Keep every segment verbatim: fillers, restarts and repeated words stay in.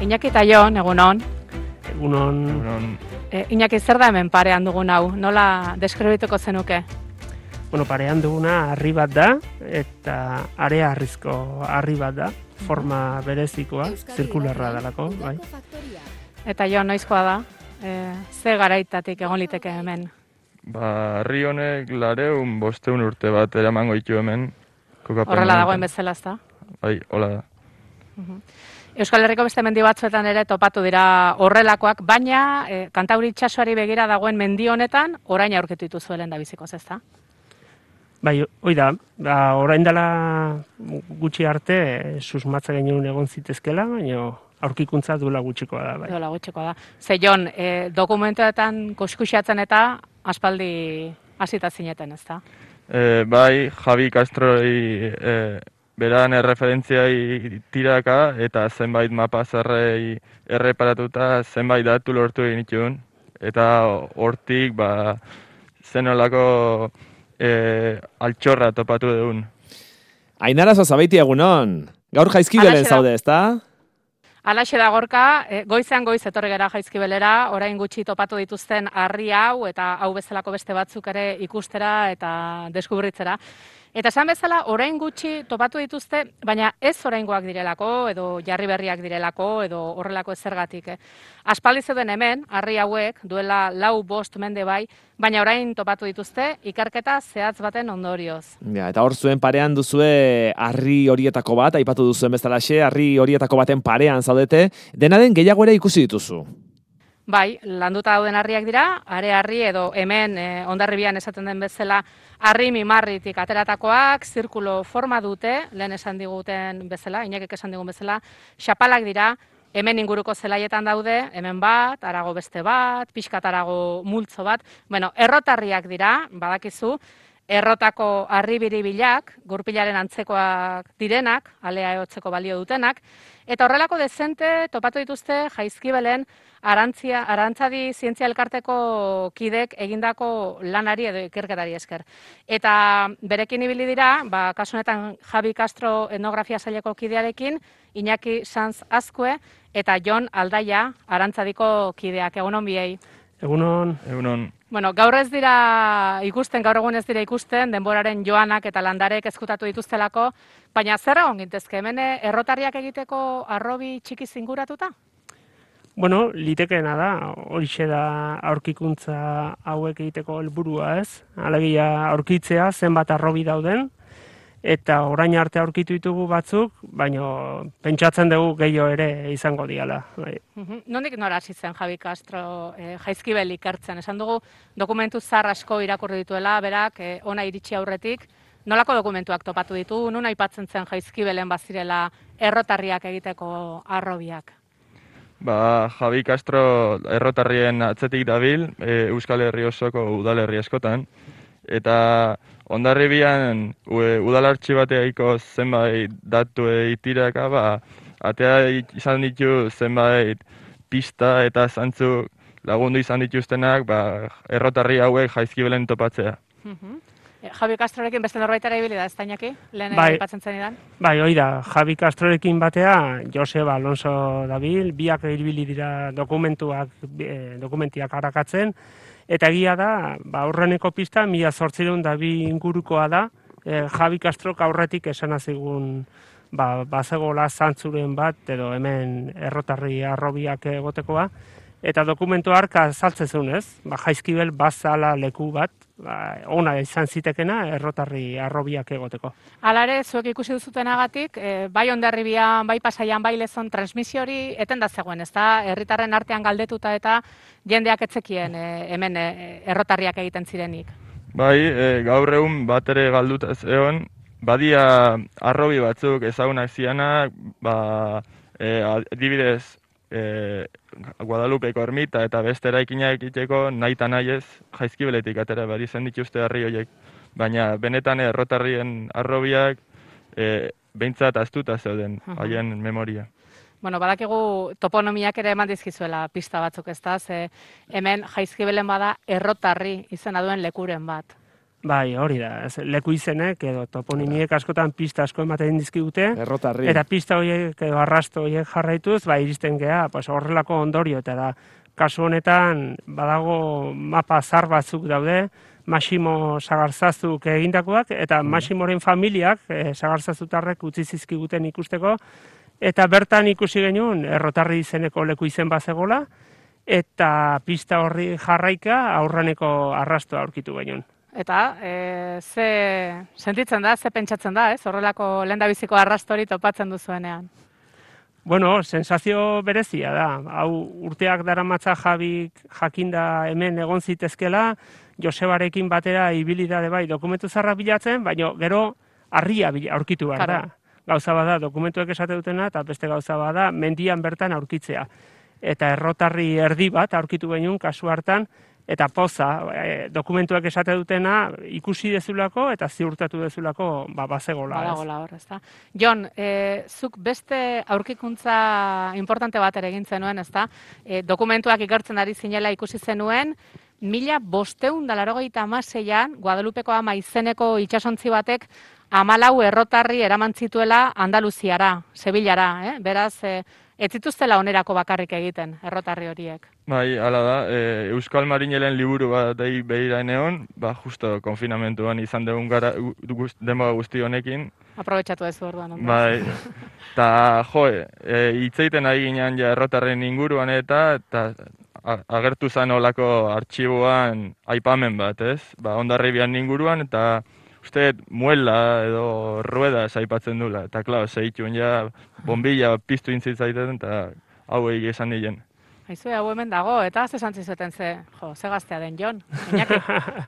Iñaki eta Jon, egunon. Egunon. Egunon. E, Iñaki, zer da hemen parean dugun hau? Nola deskribituko zenuke? Bueno, parean duguna harri bat da, eta area harrizko harri bat da, forma berezikoa, zirkularra dalako, bai. Eta Jon, noizkoa da? E, ze garaitatik egon liteke hemen? Ba, herri honek lareun bosteun urte bat eramango ditu hemen. kokapen Horrela honetan. dagoen bezala, ezta? Bai, hola da. Euskal Herriko beste mendi batzuetan ere topatu dira horrelakoak, baina e, Kantauri itsasoari begira dagoen mendi honetan orain aurkitu dituzuelen da bizikoz, ezta? Bai, hoi da, ba, orain dela gutxi arte eh, susmatza genuen egon zitezkela, baina aurkikuntza duela gutxikoa da, bai. Dola gutxikoa da. Ze Jon, e, dokumentuetan kuskuxatzen eta aspaldi hasita zineten, ezta? E, bai, Javi Castroi e, beran erreferentziai tiraka eta zenbait mapa zerrei erreparatuta zenbait datu lortu egin itun. Eta hortik, ba, zenolako e, altxorra topatu dugun. Ainara Zazabeiti egunon. Gaur Jaizkibelen Halaxe da. zaude, ezta? Alaxe da Gorka, e, goizean goiz etorri gara Jaizkibelera, orain gutxi topatu dituzten harri hau eta hau bezalako beste batzuk ere ikustera eta deskubritzera. Eta esan bezala, orain gutxi topatu dituzte, baina ez oraingoak direlako, edo jarri berriak direlako, edo horrelako ezergatik. Eh? Aspaldi zeuden hemen, harri hauek, duela lau bost mende bai, baina orain topatu dituzte, ikerketa zehatz baten ondorioz. Ja, eta hor zuen parean duzue harri horietako bat, aipatu duzuen bezalaxe, harri horietako baten parean zaudete, dena den gehiago ere ikusi dituzu. Bai, landuta dauden harriak dira, are harri edo hemen e, Hondarribian esaten den bezala harri mimarritik ateratakoak, zirkulo forma dute, lehen esan diguten bezala, Iñakik esan digun bezala, xapalak dira, hemen inguruko zelaietan daude, hemen bat, harago beste bat, pixkat harago multzo bat, bueno, errotarriak dira, badakizu, errotako harri biribilak, gurpilaren antzekoak direnak, alea ehotzeko balio dutenak, eta horrelako dezente topatu dituzte Jaizkibelen Arantzia, Arantzadi Zientzia Elkarteko kidek egindako lanari edo ikerketari esker. Eta berekin ibili dira, ba, kasu honetan Javi Castro etnografia saileko kidearekin, Iñaki Sanz Azkue eta Jon Aldaia Arantzadiko kideak. Egunon biei. Egunon. Egunon. Bueno, gaur ez dira ikusten, gaur egun ez dira ikusten, denboraren joanak eta landarek ezkutatu dituztelako, baina zer egon gintezke, hemen errotarriak egiteko arrobi txiki zinguratuta? Bueno, litekeena da, horixe da aurkikuntza hauek egiteko helburua, ez? Alegia aurkitzea zenbat arrobi dauden, eta orain arte aurkitu ditugu batzuk, baina pentsatzen dugu gehiago ere izango diala. Bai. Uhum. Nondik nora hasi zen Javi Castro eh, Jaizkibel ikertzen? Esan dugu dokumentu zar asko irakurri dituela, berak eh, ona iritsi aurretik. Nolako dokumentuak topatu ditu? Nun aipatzen zen Jaizkibelen bazirela errotarriak egiteko arrobiak? Ba, Javi Castro errotarrien atzetik dabil, e, Euskal Herri osoko udalerri askotan, eta Hondarribian udalartxi bateaiko zenbait datu eitiraka, ba, atea izan ditu zenbait pista eta zantzu lagundu izan dituztenak, ba, errotarri hauek Jaizkibelen topatzea. Uhum. Eh, Javi Castrorekin beste norbaitara ibili da, ez da Iñaki? Lehen Bai. aipatzen zenidan? Bai, hoi da, Javi Castrorekin batea, Joseba Alonso dabil, biak ibili dira dokumentuak, eh, dokumentiak arakatzen, eta egia da, ba, aurreneko pista, mila zortzireun da bi ingurukoa da, eh, Javi Castrok aurretik esan azigun, ba, bazegola zantzuren bat, edo hemen errotarri arrobiak egotekoa, eta dokumentu harka saltzen zuen, ez? Ba, Jaizkibel bazala leku bat, ba, ona izan zitekena errotarri arrobiak egoteko. Hala ere, zuek ikusi duzutenagatik, eh, bai Hondarribian, bai Pasaian, bai Lezon transmisio hori eten da zegoen, ezta? Herritarren artean galdetuta eta jendeak etzekien eh, hemen eh, errotarriak egiten zirenik. Bai, e, gaur egun bat ere galduta zeon, badia arrobi batzuk ezagunak zianak, ba, e, adibidez, e, Guadalupeko ermita eta beste eraikinak egiteko nahi eta nahi ez Jaizkibeletik atera bari zen dituzte harri horiek. Baina benetan errotarrien arrobiak e, behintzat astuta zeuden haien memoria. Bueno, badakigu toponomiak ere eman dizkizuela pista batzuk, ezta? Ze hemen Jaizkibelen bada errotarri izena duen lekuren bat. Bai, hori da. Ez, leku izenek edo toponimiek askotan pista asko ematen dizkigute. Errotarri. Eta pista horiek edo arrasto horiek jarraituz, bai iristen gea, pues horrelako ondorio eta da. Kasu honetan badago mapa zar batzuk daude, Maximo Sagarzazuk egindakoak eta Maximoren familiak e, Sagarzazutarrek utzi zizkiguten ikusteko eta bertan ikusi genuen Errotarri izeneko leku izen bazegola eta pista horri jarraika aurraneko arrastoa aurkitu genuen. Eta e, ze sentitzen da, ze pentsatzen da, ez? Horrelako lehendabiziko arrastori topatzen duzuenean. Bueno, sensazio berezia da. Hau urteak daramatza Jabik jakinda hemen egon zitezkela, Josebarekin batera ibili da bai dokumentu zarra bilatzen, baina gero harria aurkitu behar da. Gauza bada dokumentuek esate dutena eta beste gauza bada mendian bertan aurkitzea. Eta Errotarri erdi bat aurkitu genuen kasu hartan, eta poza, e, dokumentuak esate dutena ikusi dezulako eta ziurtatu dezulako ba, bazegola. Badagola hor, ezta. Jon, e, zuk beste aurkikuntza importante bat ere egin zenuen, ezta? E, dokumentuak ikertzen ari zinela ikusi zenuen, mila bosteun da laurogeita hamaseian, Guadalupeko ama izeneko itsasontzi batek hamalau errotarri eraman zituela Andaluziara, Sevillara, eh? Beraz, e, ez zituztela onerako bakarrik egiten, errotarri horiek. Bai, hala da, e, Euskal Marinelen liburu bat dei behira eneon, ba, justo konfinamentuan izan dugun gara guz, denboa guzti honekin. Aprobetxatu ez orduan. Bai, eta jo, e, hitzeiten ari ginean ja errotarren inguruan eta, eta agertu zen olako artxiboan aipamen bat, ez? Ba, Hondarribian inguruan eta uste muela edo rueda aipatzen dula. Eta, klar, zehituen ja bombilla piztu intzitzaiten eta hau egin esan nien. Haizu, hau hemen dago, eta ze santzizuten ze, jo, ze gaztea den Jon, Iñaki,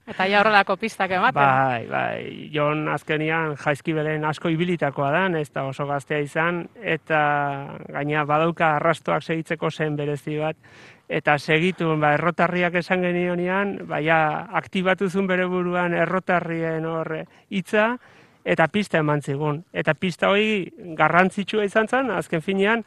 eta ja horrelako pistak ematen. Bai, bai, Jon azkenian Jaizkibelen asko ibilitakoa da, ez da oso gaztea izan, eta gaina badauka arrastoak segitzeko zen berezi bat, eta segitu, ba, errotarriak esan genionean, baina aktibatuzun bere buruan errotarrien hor hitza, eta pista eman zigun. Eta pista hori garrantzitsua izan zen, azken finean,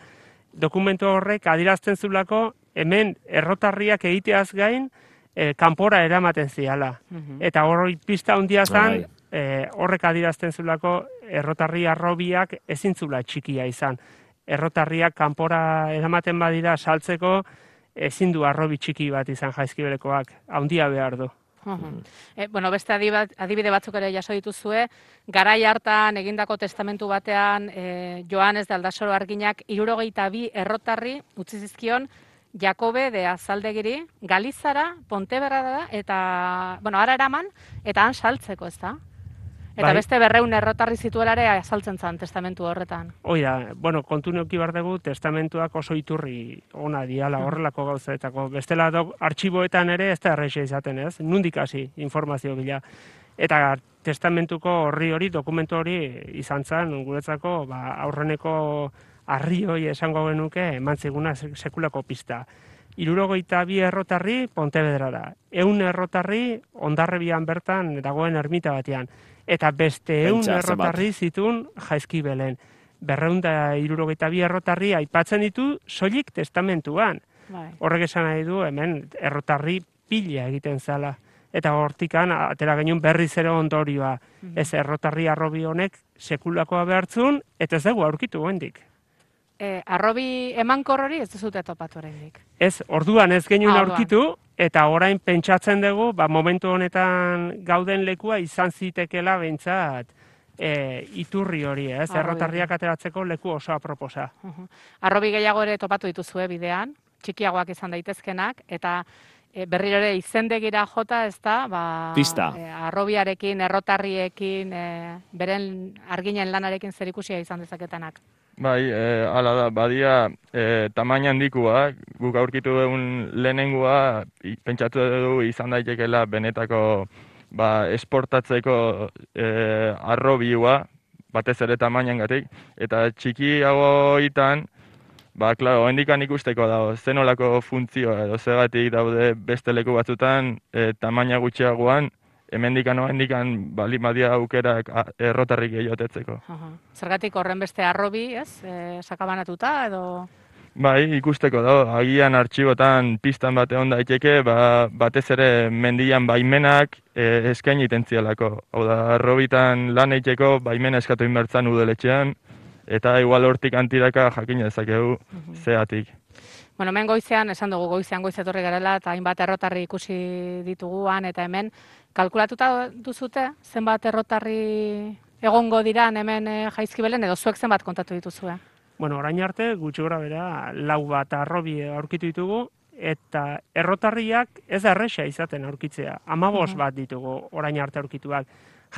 dokumentu horrek adirazten zulako hemen errotarriak egiteaz gain e, kanpora eramaten ziala. Uh-huh. Eta hori pista handia zen, e, horrek adirazten zulako errotarri arrobiak ezintzula txikia izan. Errotarriak kanpora eramaten badira saltzeko ezin du arrobi txiki bat izan Jaizkibelekoak, handia behar du. Uh-huh. E, bueno, beste adibide batzuk ere jaso dituzue, garai hartan egindako testamentu batean e, Joanes de Aldasoro Arginak hirurogeita bi errotarri utzi zizkion Jakobe de Azaldegiri, Galizara, Ponteberra eta, bueno, ara eraman, eta han saltzeko, ez da? Eta bai. Beste berreun errotarri zituelare azaltzen zen testamentu horretan. Hoi da, bueno, kontu neuki behar dugu, testamentuak oso iturri ona diala horrelako gauzaetako. Bestela dok, artxiboetan ere ez da erreixa izaten, ez? Nundik hasi informazio bila. Eta testamentuko horri hori, dokumentu hori izan zen, guretzako, ba, aurreneko harri hori esango genuke eman ziguna sekulako pista. Hirurogeita bi errotarri Pontevedrara, ehun errotarri Hondarribian bertan dagoen ermita batean, eta beste ehun errotarri zituen Jaizkibelen. Berrehun da hirurogeita bi errotarri aipatzen ditu soilik testamentuan. Bai. Horrek esan nahi du hemen errotarri pila egiten zala. Eta hortikan atera genuen berriz ere ondorioa. Mm-hmm. Ez errotarri arrobi honek sekulakoa behartzun, eta ez dugu aurkitu goendik. E, arrobi emankor hori ez duzute topatu oraindik. Ez, orduan ez genuen ah, aurkitu, eta orain pentsatzen dugu, ba, momentu honetan gauden lekua izan zitekela behintzat e, iturri hori, ez? Arrobi. Errotarriak ateratzeko leku oso aproposa. Uh-huh. Arrobi gehiago ere topatu dituzue bidean, txikiagoak izan daitezkenak, eta e, berriro ere izendegira jota, ez da, ba, pista. E, arrobiarekin, errotarriekin, e, beren arginen lanarekin zerikusia izan dezaketenak. Bai, e, ala da, badia e, tamaina handikua, guk aurkitu dugun lehenengoa, pentsatu dugu izan daitekela benetako ba, esportatzeko e, arrobiua, batez ere tamainangatik, eta txikiagoitan, ba, klaro, hendikan ikusteko dago, zenolako funtzioa edo zegatik daude beste leku batzutan e, tamaina gutxiagoan, hemendikan o hendikan bali badia aukerak errotarrik gehiotetzeko. Zergatik horren beste arrobi, ez? E, sakabanatuta edo... Bai, ikusteko da, agian artxibotan pistan bat egon daiteke, ba, batez ere mendian baimenak e, eskaini tentzialako. Hau da, arrobitan lan eiteko baimena eskatu inbertzan udaletxean, eta igual hortik antiraka jakin dezakegu zeatik. Bueno, hemen goizean, esan dugu goizean goiz etorri garela, eta hainbat errotarri ikusi dituguan, eta hemen kalkulatuta duzute, zenbat errotarri egongo diran hemen e, Jaizkibelen, edo zuek zenbat kontatu dituzue? Bueno, orain arte, gutxi gora bera, lau bat arrobi aurkitu ditugu, eta errotarriak ez da erresa izaten aurkitzea. Amabos bat ditugu orain arte aurkituak.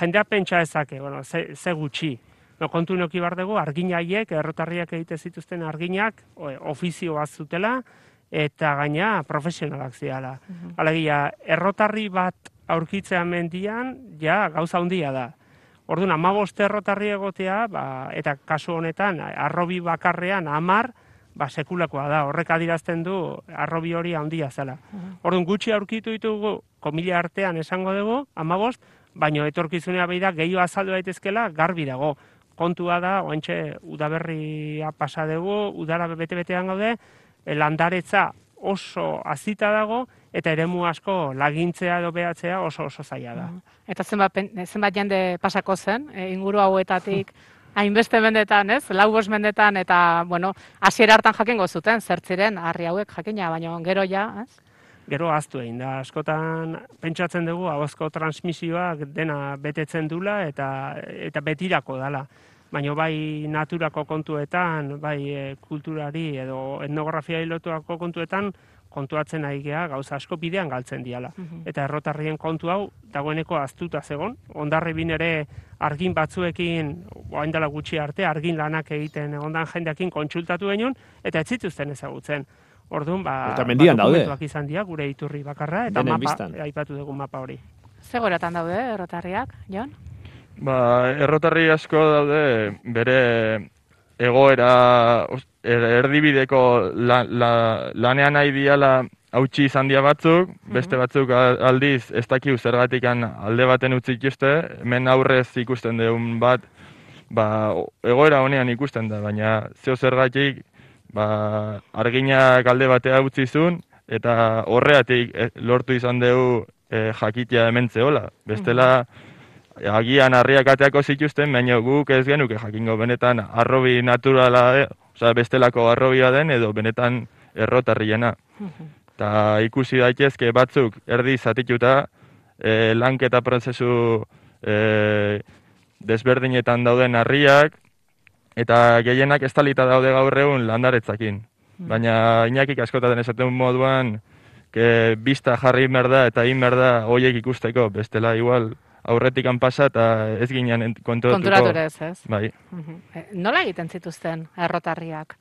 Jendea pentsa ezake, bueno, ze, ze gutxi. No, kontu noki bar dugu, argin haiek, errotarriak egite zituzten arginak, ofizio bat zutela, eta gaina profesionalak ziala. Alegia, errotarri bat aurkitzea mendian, ja, gauza handia da. Orduan, hamabost errotarri egotea, ba, eta kasu honetan, arrobi bakarrean hamar, ba, sekulakoa da. Horrek adirazten du, arrobi hori handia zela. Orduan, gutxi aurkitu ditugu, komila artean esango dugu, hamabost, baino etorkizunea behi da, gehiago azaldu daitezkela, garbi dago. Kontua da, oentxe, udaberria pasa dugu, udara bete-betean gaude, landaretza oso azita dago, eta eremu asko lagintzea edo behatzea oso oso zaila da. Eta zenbat, zenbat jende pasako zen, e, inguru hauetatik hainbeste mendetan, ez? Lau bost mendetan, eta, bueno, hasiera hartan jakingo zuten, zertziren, harri hauek jakina, baina gero ja, ez? Gero ahaztu egin da, askotan pentsatzen dugu ahozko transmisioak dena betetzen dula eta eta betirako dala. Baina bai naturako kontuetan, bai e, kulturari edo etnografiai lotuako kontuetan, kontuatzen ari gea gauza asko bidean galtzen diala. Eta errotarrien kontu hau dagoeneko ahaztuta zegon. Hondarribin ere argin batzuekin, orain dela gutxi arte, argin lanak egiten ondan jendeekin kontsultatu genuen, eta ez zituzten ezagutzen. Orduan, ba, eta mendian ba, daude. dokumentuak izan dira, gure iturri bakarra, eta Denen mapa, biztan. aipatu dugu mapa hori. Zegoratan daude errotarriak, Jon? Ba, errotarri asko daude bere egoera os- er- erdibideko la, la, lanean nahi diala hautsi izan dia batzuk, beste batzuk a- aldiz ez dakiu zergatikan alde baten utzi ikuste, hemen aurrez ikusten dugun bat, ba, o- egoera honean ikusten da, baina zeo zergatik ba, arginak alde batea utzi zuen, eta horreatik eh, lortu izan dugu eh, jakitea hemen zehola. Bestela, agian harriak ateako zituzten, baina guk ez genuke jakingo benetan arrobi naturala, eh, osea bestelako arrobia den edo benetan errotarriena. Eta ikusi daitezke batzuk erdi zatituta, eh, lanketa prozesu eh, desberdinetan dauden harriak, eta gehienak estalita daude gaur egun landaretzakin. Baina Iñakik askotaten esaten moduan, que bista jarri merda eta egin merda hoiek ikusteko, bestela igual aurretikan pasa eta ez ginen konturatuko. Konturatu ere ez, ez? Bai. E, Nola egiten zituzten errotarriak?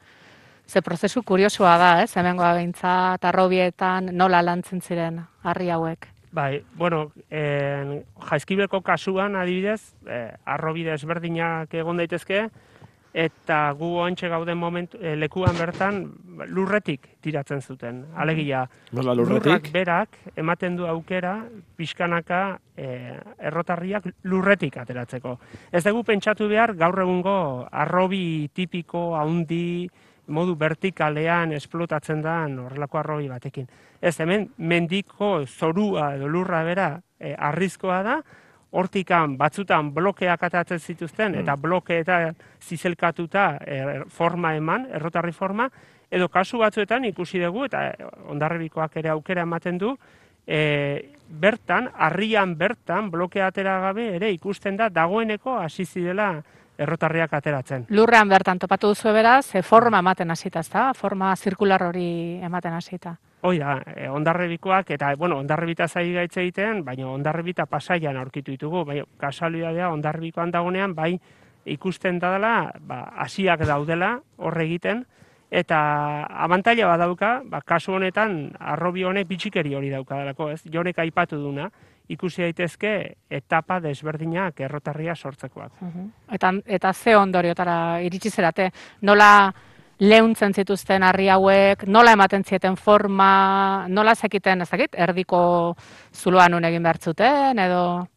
Ze prozesu kuriosua da, ez? Hemengoa behintzat, arrobietan, nola lantzen ziren harri hauek? Bai, bueno, en, Jaizkibeleko kasuan adibidez, eh, arrobide ezberdinak egon daitezke, eta gu oantxe gauden momentu, eh, lekuan bertan lurretik tiratzen zuten. Alegia, Nola lurrak lurretik? berak ematen du aukera pixkanaka eh, errotarriak lurretik ateratzeko. Ez dugu pentsatu behar gaur egungo arrobi tipiko, haundi, modu vertikalean esplotatzen da horrelako arrobi batekin. Ez hemen mendiko zorua edo lurra bera eh, arrizkoa da, hortikan batzutan blokeak atatzen zituzten, eta blokeetan zizelkatuta er, forma eman, errotarri forma, edo kasu batzuetan ikusi dugu, eta Hondarribikoak ere aukera ematen du, e, bertan, harrian bertan, blokea atera gabe ere ikusten da dagoeneko hasi zirela errotarriak ateratzen. Lurrean bertan topatu duzu beraz, e, forma ematen hasita, ezta? Forma zirkular hori ematen hasita. Hoi da, eh, Hondarribikoak, eta, bueno, Hondarribita zai gaitze egiten, baina Hondarribita Pasaian aurkitu ditugu, bai, kasualidadea Hondarribikoan dagonean, bai, ikusten da dela, ba, hasiak daudela horre egiten, eta abantaila bat dauka, ba, kasu honetan, arrobi honek bitxikeri hori dauka delako, ez? Jonek aipatu duna, ikusi daitezke etapa desberdinak errotarria sortzekoak. Eta, eta ze ondoriotara iritsi zerate, nola leuntzen zituzten harri hauek, nola ematen zieten forma, nola zekiten, ez dakit, erdiko zuloan un egin behar zuten, edo...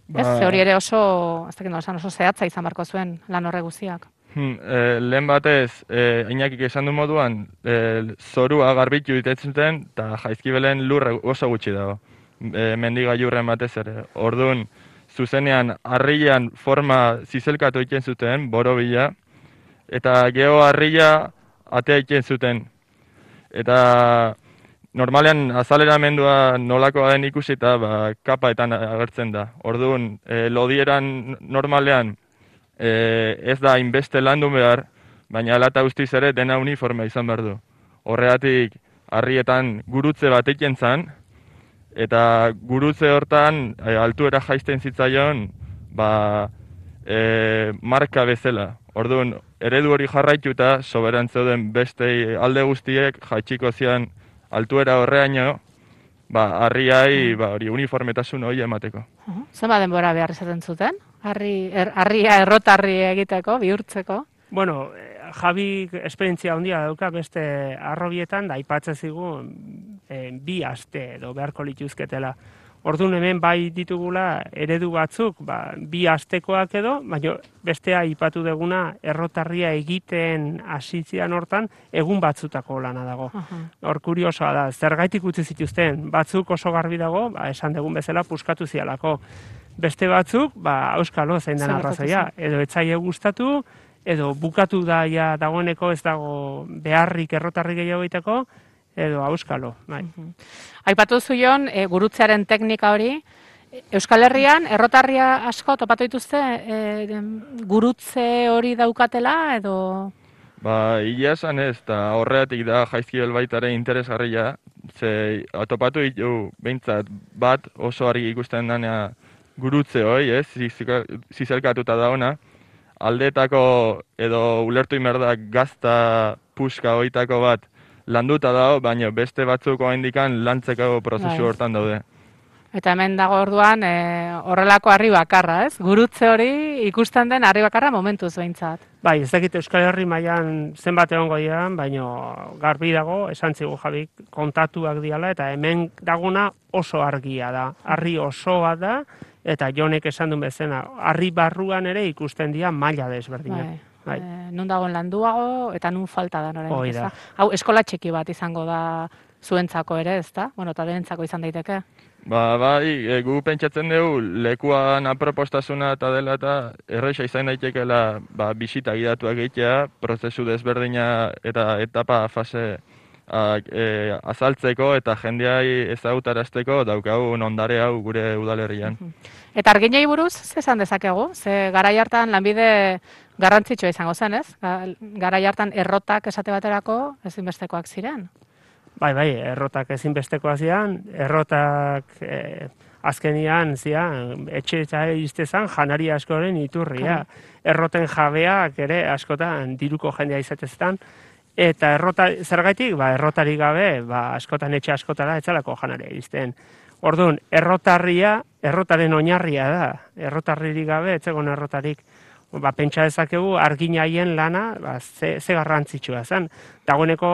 Ez, Ba- ze hori ere oso, ez dakit nola esan, oso zehatza izan beharko zuen lan horre guztiak. Hmm, e, lehen batez, e, Iñakik esan du moduan, e, zorua garbitu itetzen zuten, eta Jaizkibelen lurra oso gutxi dago. E, mendigailurren batez ere. Orduan, zuzenean, harrian forma zizelkatu egiten zuten, borobila, eta geho harria atea egiten zuten. Eta normalean azaleramendua nolakoa den ikusita, ba, kapaetan agertzen da. Orduan, e, lodieran normalean, E, ez da hainbeste landu behar, baina alata guztiz ere dena uniformea izan behar du. Horregatik, harrietan gurutze bat egiten zan, eta gurutze hortan e, altuera jaisten zitzaion ba, e, marka bezala. Orduan, eredu hori jarraituta, soberan zeuden beste alde guztiek jaitsiko zian altuera horreaino, ba, harriai ba, hori uniformetasun hori emateko. Uh-huh. Zenba denbora behar izaten zuten? Harri, er, harria errotarri egiteko, bihurtzeko? Bueno, Javi esperientzia handia dauka beste arrobietan, da aipatzen zigu e, bi aste edo beharko lituzketela. Orduan hemen bai ditugula eredu batzuk, ba, bi astekoak edo, baina bestea aipatu deguna errotarria egiten hasitzean hortan egun batzutako lana dago. Uh-huh. Hor kuriosoa da, zergaitik utzi zituzten, batzuk oso garbi dago, ba, esan degun bezala puskatu zialako. Beste batzuk, ba, auskalo zein den arrazoia, edo etzaile gustatu, edo bukatu da ja dagoeneko ez dago beharrik errotarri gehiago egiteko, edo auskalo. Bai. Uh-huh. Aipatu zuion, e, gurutzearen teknika hori, Euskal Herrian errotarria asko topatu dituzte e, gurutze hori daukatela, edo... Ba, ia esan ez, eta horreatik da Jaizkibel baitare interesgarria, ze topatu ditu behintzat bat oso argi ikusten danea gurutze hoi, ez, zizelkatuta da ona, aldetako edo ulertu inberdak gazta puska hoitako bat landuta dago, baina beste batzuk oraindikan lantzeko prozesu Bai. hortan daude. Eta hemen dago orduan e, horrelako harri bakarra, ez? Gurutze hori ikusten den harri bakarra momentuz behintzat. Bai, ez dakit Euskal Herri mailan zenbat egongo dian, baina garbi dago, esan zigu Jabik, kontatuak diala, eta hemen daguna oso argia da. Harri oso bat da, eta Jonek esan duen bezena, harri barruan ere ikusten dira maila desberdinak. Bai. Bai. E, nun dagoen landuago, eta nun falta da noren. Hoi da. Hau, eskola txiki bat izango da zuentzako ere, ez da? Bueno, eta denentzako izan daiteke. Ba, bai, e, gu pentsatzen dugu lekuan apropostasuna eta dela eta erresa izan daitekeela ba, bisita gidatuak egitea, prozesu desberdina eta etapa fase a, e, azaltzeko eta jendeai ezagutarazteko daukagun ondare hau gure udalerrian. Eta arginei buruz, ze esan dezakegu? Ze garai hartan lanbide garrantzitsua izango zen, ez? Garai hartan errotak esate baterako ezinbestekoak ziren. Bai, bai, errotak ezinbestekoa zian, errotak eh, azkenian zian, etxe eta iztezan janari askoren iturria. Erroten jabeak ere askotan diruko jendea izatezetan, eta errota, zergaitik, ba, errotari gabe, ba, askotan etxe askotara etzalako janaria izten. Orduan, errotarria, errotaren oinarria da, errotarririk gabe, etzegon errotarik. Ba, pentsa dezakegu arginaien lana ba, ze, ze garrantzitsua zen. Dagoeneko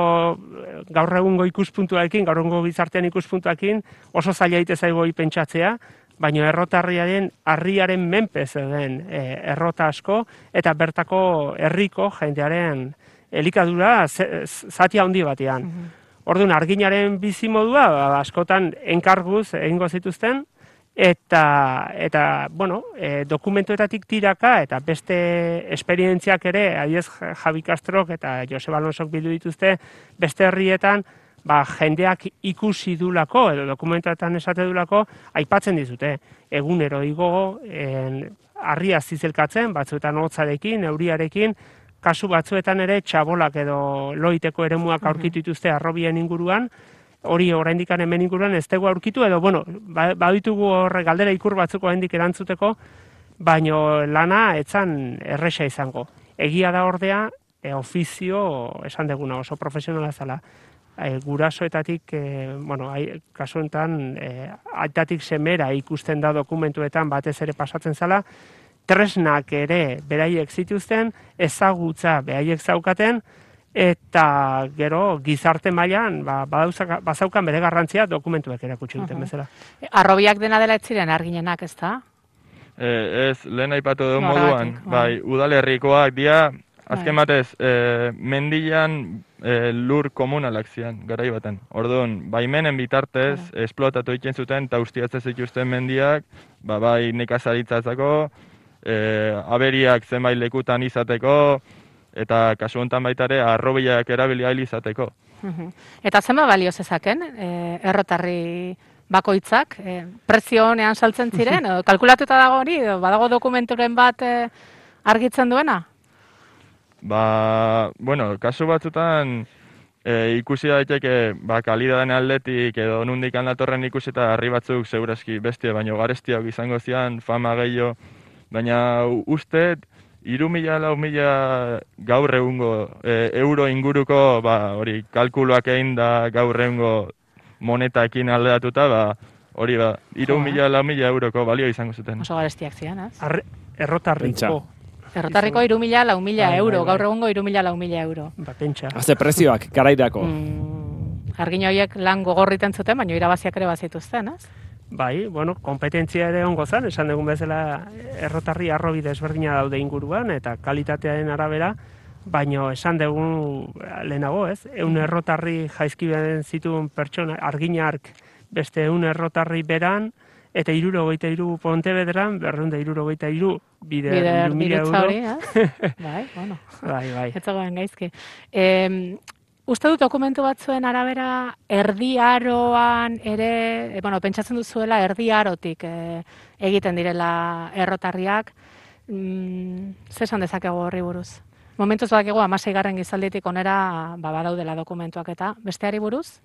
gaur egungo ikuspuntuarekin, gaur egungo bizartean ikuspuntuarekin oso zaila daite zaigu pentsatzea, baina errotarriaren harriaren menpe zeuden e, errota asko eta bertako herriko jendearen elikadura zati handi batean. Mm-hmm. Orduan arginaren bizimodua ba, askotan enkarguz egingo zituzten, Eta, eta bueno, e, dokumentuetatik tiraka eta beste esperientziak ere, adiez Javi Castrok eta Joseba Alonsok bildu dituzte, beste herrietan ba, jendeak ikusi dulako, edo dokumentuetan esate dulako, aipatzen dizute. Egunero igo, en, harria zizelkatzen, batzuetan hotzarekin, euriarekin, kasu batzuetan ere txabolak edo loiteko eremuak aurkitu dituzte arrobien inguruan, hori oraindik hemen inguruan ez dugu aurkitu, edo, bueno, baditugu horre galdera ikur batzuk oraindik erantzuteko, baino lana etzan erresa izango. Egia da ordea, e, ofizio, esan deguna, oso profesionala zala. E, gurasoetatik, e, bueno, ai, kasu enten, e, aitatik semera ikusten da dokumentuetan batez ere pasatzen zala, tresnak ere beraiek zituzten, ezagutza beraiek zaukaten, eta gero gizarte mailan ba, bazaukan bere garrantzia dokumentuek erakutsi duten bezala. Arrobiak dena dela ez ziren arginenak, ez da? E, ez, lehen aipatu duen moduan, bai, udalerrikoak dira azken batez, e, mendian e, lur komunalak zian, garai baten. Orduan, baimenen bitartez, claro. esplotatu egiten zuten, eta ustiatzen zituzten mendiak, ba, bai nekazaritzatzako, e, aberiak zenbait lekutan izateko, eta kasu honetan baita ere, arrobiak erabili ahal izateko. Eta zenba balio zezaken, e, errotarri bakoitzak, e, prezio honean saltzen ziren, edo kalkulatuta dago hori, edo badago dokumenturen bat e, argitzen duena? Ba, bueno, kasu batzutan e, ikusi daiteke, ba, kalidaden aldetik edo nundik handatorren ikusi eta harri batzuk segurazki bestia, baino garestiak izango zian, fama gehiago, baina uste, hiru mila, lau mila gaur egungo e, euro inguruko, ba, hori, kalkuluak egin da gaur egungo monetakin aldeatuta, ba, hori, ba, hiru mila, lau mila euroko balio izango zuten. Oso garestiak zian, ez? Errotarriko. Errotarriko hiru mila, lau mila euro, gaur egungo hiru mila, lau mila euro. Ba, pentsa. Haze prezioak, garairako. Mm, argin horiek lan gogorriten zuten, baina irabaziak ere bazituzten, ez? Bai, bueno, kompetentzia ere ongo zen, esan dugun bezala errotarri arrobi desberdina daude inguruan, eta kalitatearen arabera, baino esan dugun lehenago, ez? Eun errotarri jaizkibaren zituen pertsona, arginark beste eun errotarri beran, eta irurogeita iru Pontebederan, berreunda irurogeita iru bider, bider mila euro. Hori, ez? Bai, bueno. Bai, bai. Ez zagoen gaizki. E, uste dut dokumentu batzuen arabera, erdi aroan ere, e, bueno, pentsatzen duzuela erdi arotik e, egiten direla errotarriak. Mm, Zesan dezakegu horri buruz? Momentuz badakigu hamaseigarren gizalditik onera ba, badaudela dokumentuak eta besteari buruz?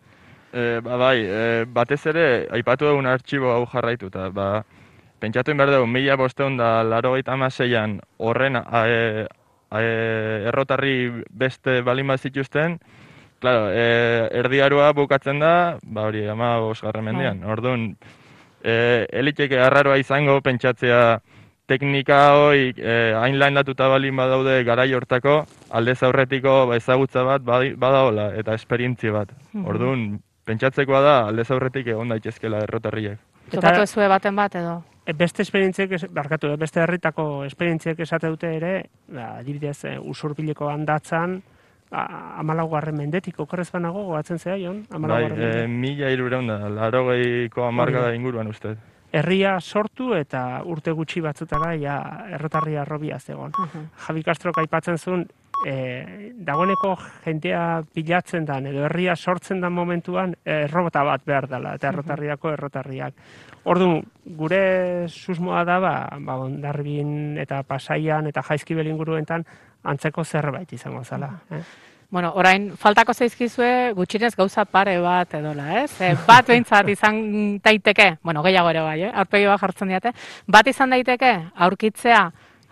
E, ba, bai, e, batez ere, aipatu dugun artxibo hau jarraituta, ba, pentsatu behar dugu, mila bosteun da laurogeita hamaseian horren e, e, errotarri beste balin bat zituzten, claro, e, erdiarua bukatzen da, ba hori, ama bosgarren mendian. Orduan, e, eliteke arraroa izango pentsatzea teknika hoi e, hain landatuta balin badaude garai hortako, aldez aurretiko ba, ezagutza bat badaola eta esperientzia bat. Orduan, pentsatzekoa da aldez aurretik egon daitezkela errotarriek. Tokatu ezue baten bat edo? Beste esperientziek, barkatu, beste herritako esperientziek esate dute ere, ba, adibidez, usurbileko handatzan, hamalaugarren mendetik, okerrez banago, goatzen zea, Jon? Bai, e, mila hirureun da, laurogeiko hamarkada inguruan uste. Herria sortu eta urte gutxi batzutara ja errotarria arrobia zegoen. Uh-huh. Javi Castrok aipatzen zuen, e, dagoeneko jentea pilatzen dan, edo herria sortzen dan momentuan, errobota bat behar dela, eta errotarriako errotarriak. Orduan, gure susmoa da, ba, ba Hondarribin eta Pasaian eta Jaizkibel inguruetan antzeko zerbait izango zala. Eh? Bueno, orain, faltako zaizkizue gutxinez gauza pare bat edola, ez? E, bat behintzat izan daiteke, bueno, gehiago ere bai, eh? Aurpegi bat jartzen diate, bat izan daiteke aurkitzea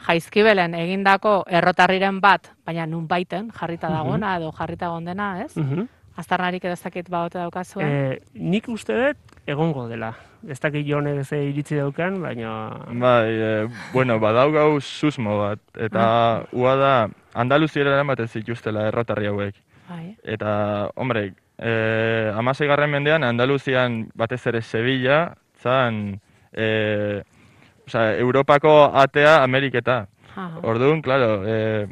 Jaizkibelen egindako errotarriren bat, baina nun baiten jarrita dagoena edo jarrita gondena, ez? Uh-huh. Aztarnarik edo ez dakit baote daukazuen? E, nik uste dut egongo dela. Ez dakit Jonek ze iritzi daukan, baina... Bai, e, bueno, badaugau susmo bat, eta ua da, Andaluziera eramaten zituztela errotarri hauek. Bai. Eta, hombre, e, hamaseigarren mendean Andaluzian batez ere Sevilla, zan, e, oza, Europako atea Ameriketa. Aha. Orduan, klaro, e,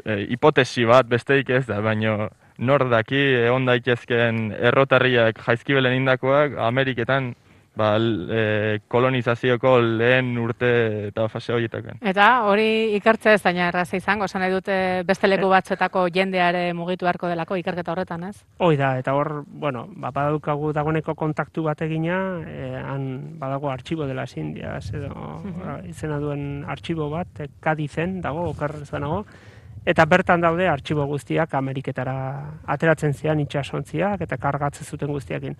e, hipotesi bat besteik ez da, baina nor daki egon daitezken errotarriak Jaizkibelen indakoak Ameriketan ba, e, kolonizazioko lehen urte eta fase horietaken. Eta hori ikertze ez daina erraza izango, esan nahi dute beste leku batzuetako jendeare mugitu beharko delako ikerketa horretan, ez? Hoi da, eta hor, bueno, ba, badaukagu dagoeneko kontaktu bat egina, e, han badago artxibo de las Indias, edo uh-huh. izena duen artxibo bat, e, Kadizen dago, okerrez banago, eta bertan daude artxibo guztiak Ameriketara ateratzen zian itxasontziak eta kargatzen zuten guztiakin.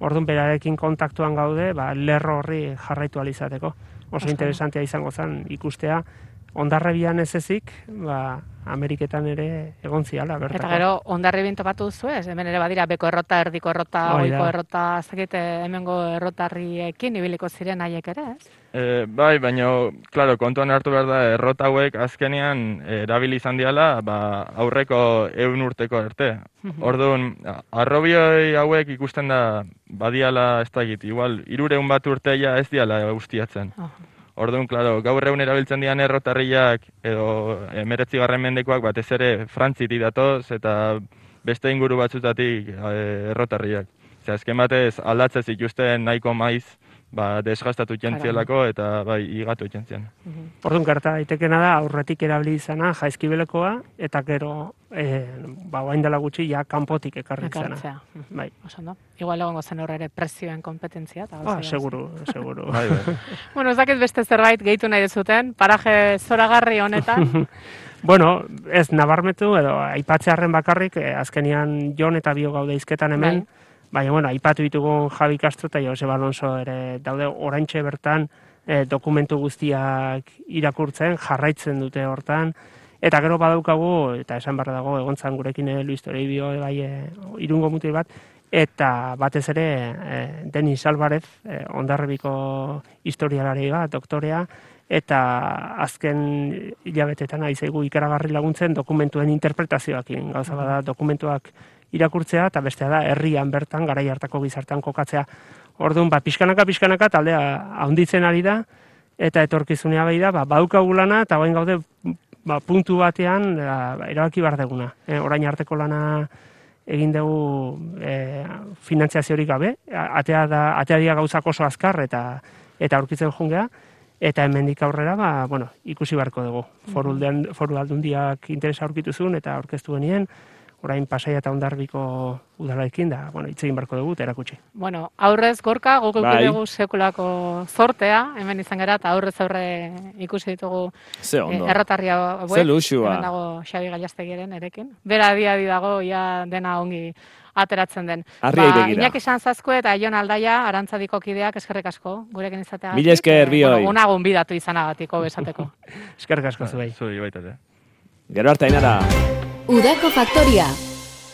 Orduan berarekin kontaktuan gaude, ba, lerro horri jarraitu alizateko. Oso interesantea izango zen ikustea, Hondarribian ez ezik, ba, Ameriketan ere egon ziala, bertako. Eta gero, Hondarribin topatu duzu ez? Hemen ere badira, beko errota, erdiko errota, oiko errota, zakite hemengo errotarriekin ibiliko ziren haiek ere, ez? E, bai, baina, klaro, kontuan hartu behar da, errota hauek azkenean erabili izan diala, ba, aurreko ehun urteko arte. Orduan, arrobioi hauek ikusten da, badiala ez da egit, igual, hirureun bat urteia ez diala ustiatzen. Orduan, klaro, gaur egun erabiltzen dian errotarriak edo emeretzigarren mendekoak batez ere Frantzitik datoz eta beste inguru batzutatik errotarriak. Zer, azken batez aldatzez ikusten nahiko maiz, ba, desgastatu jentzielako eta bai, igatu jentzien. Orduan, gerta daitekena da, aurretik erabili izana jaizkibelekoa, eta gero, e, ba, guain dela gutxi, ja, kanpotik ekarri izana. Bai. Osando. Igual egongo zen horre ere prezioen kompetentzia. Ah, seguru, seguru. Bai, bai. Bueno, ez dakit beste zerbait gehitu nahi dezuten, paraje zoragarri honetan. Bueno, ez nabarmetu, edo aipatzearen bakarrik, eh, azkenian Jon eta Bio gaude izketan hemen, bai. Baina, bueno, aipatu ditugun Javi Castro eta Joseba Alonso ere daude oraintxe bertan eh, dokumentu guztiak irakurtzen, jarraitzen dute hortan, eta gero badaukagu, eta esan barra dago, egontzan gurekin eh, Luis Toribio, bai, eh, irungo mutil bat, eta batez ere eh, Denis Alvarez, eh, Hondarribiko historialari bat, doktorea, eta azken hilabetetan ari zaigu ikaragarri laguntzen dokumentuen interpretazioakin. Gauza bada dokumentuak irakurtzea eta bestea da herrian bertan garai hartako gizartean kokatzea. Orduan, ba, pixkanaka pixkanaka taldea handitzen ari da eta etorkizunea bai da, ba, badaukagu lana eta orain gaude ba, puntu batean ba, erabaki behar deguna. E, orain arteko lana egin dugu e, finantziaziorik gabe, atea da atea dira gauzak oso azkar eta eta aurkitzen jungea. Eta hemendik aurrera, ba, bueno, ikusi beharko dugu. Foru, foru aldundiak interesa aurkitu zuen eta aurkeztu genien, orain Pasaia eta Hondarribiko udalarekin da, bueno, hitz egin beharko dugu eta erakutsi. Bueno, aurrez gorka, guk bai. dugu sekulako zortea, hemen izan gara, eta aurrez aurre ikusi ditugu Ze ondo. eh, erratarria hauek. Ze luxua. Hemen dago Xabi Gallastegiren erekin. Bera adi dago, ja dena ongi ateratzen den. Arria Ba, begira. Iñaki Sanzazko eta Jon Aldaia, Arantzadiko kideak eskerrik asko, gurekin izateagatik. Mila esker, bioi. Bueno, unagun bidatu izanagatiko besateko. Eskerrik asko zuei. Zui baita ere. Gero arte, Ainara. Udako Faktoria.